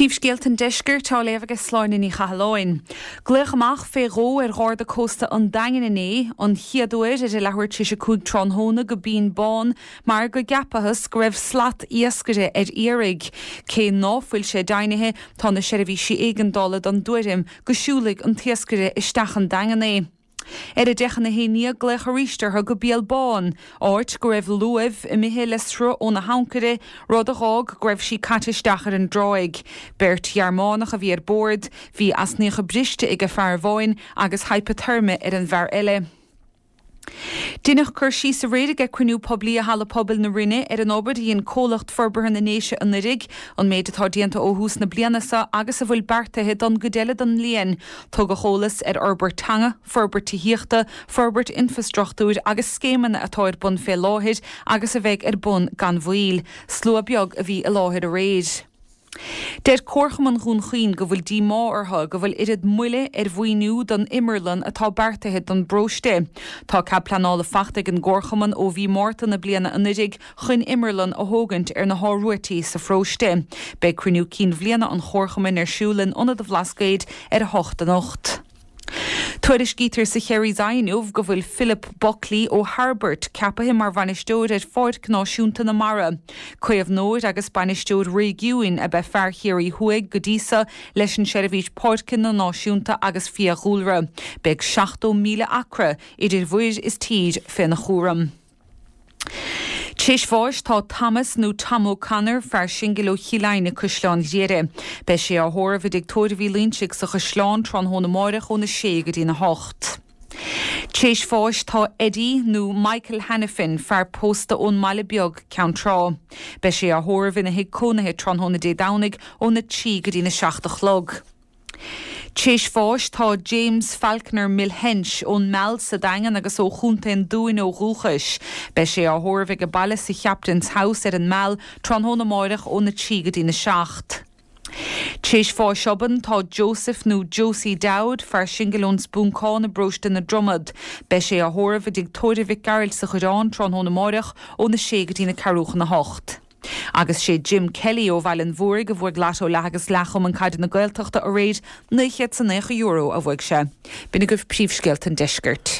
Príomhscéalta an Deiscirt á léamh ag Sláine Ní Chathalláin. Glaodh amach fé dhó ar Gharda Cósta an Daingin inné, an chéad uair ar a leathuair tar éis 5 tráthnóna go Binn Bán mar go gceapathas go raibh slat iascaire ar iarraidh. Cé ná fuil sé deimhnithe, tá na seirbhísí éigeandála den dtuairim go siúlfaidh an t-iascaire isteach an Daingean é. Ar a 10:50 glaodh arís orthu go Béal Bán, áit go raibh luaimh imithe le sruth óna hancaire, rud a dh'fhág go raibh sí caite isteach ar an dtráigh. Beirt Ghearmánach a bhí ar bord, bhí easnaíocha briste age fear amháin agus heipeateirme ar an bhfear eile. Deineadh cur síos aréir age cruinniú poiblí i Halla Pobail na Rinne ar an obair a dhein Comhlacht Forbartha na nDéise anuiridh, an méid atá déanta ó thús na bliana seo agus a bhfuil beartaithe don gcuid eile den mbliain. Tugadh eolas ar fhorbairt teanga, forbairt tithíochta, forbairt infreastruchtúir agus scéimeanna atá ar bun fé láthair agus a bheidh ar bun gan mhoill. Slua beag a bhí i láthair aréir. Deir Comharchumann Dhún Chaoin go bhfuil díomá orthu go bhfuil oiread moille ar mhaoiniú don imearlann atá beartaithe don bparóiste. Tá cead pleanála fachta ag an gComharchumann ó mhí Márta na bliana anuiridh chun imearlann a thógaint ar na hÁth Ruaití sa pharóiste. Beidh cruinniú cinn bhliana an Chomharchumainn ar siúl in Ionad an Bhlascaoid ar 8 anocht. Tuairiscítear sa Kerry's Eye inniu go bhfuil Philip Buckley ó Thairbeart ceapaithe mar bhainisteoir ar Pháirc Náisiúnta na Mara. Caomhnóir agus bainisteoir réigiúin ab ea fear Chiarraí Thuaidh go dtí so leis an Seirbhís Páirceanna Náisiúnta agus Fiadhúlra. Beidh 70,000 acra idir mhuir is tír féna chúram. T'réis bháis tá Thomas nó Tom O'Connor, fear singil ó Chill Aidhne, Caisleán Ghriaire. Beidh sé á thórramh i dTigh Tórraimh Uí Loinsigh sa Chaisleán tráthnóna amáireach óna sé go dtína hocht. T'réis bháis tá Eddie nó Michael Hanafin, fear pósta ón mBaile Beag, Ceann Trá. Beidh sé á thórramh ina thigh cónaithe tráthnóna Dé Domhnaigh óna 3 go dtína 7 a chlog. T'réis bháis tá James Falconer Milhench ón Meal sa Daingean agus ó Chontae an Dúin ó dhúchais. Beidh sé á thórramh age baile sa Chaptain's House ar an Meal tráthnóna amáireach óna 3 go dtína 7. T'réis bháis obann tá Joseph nó Josie Dowd, fear singil ón Spúncán i bparóiste na Dromad. Beidh sé á thórramh i dTigh Tórraimh Mhic Gearailt sa Choireán tráthnóna amáireach óna 6 go dtína ceathrú chun a hocht. Agus sé Jim Kelly ó Bhaile an Mhúraigh a bhuaigh Lotto Leath agus Leath Chumann Caide na Gaeltachta aréir, €990 a bhuaigh sé. B'in agaibh príomhscéalta an deiscirt.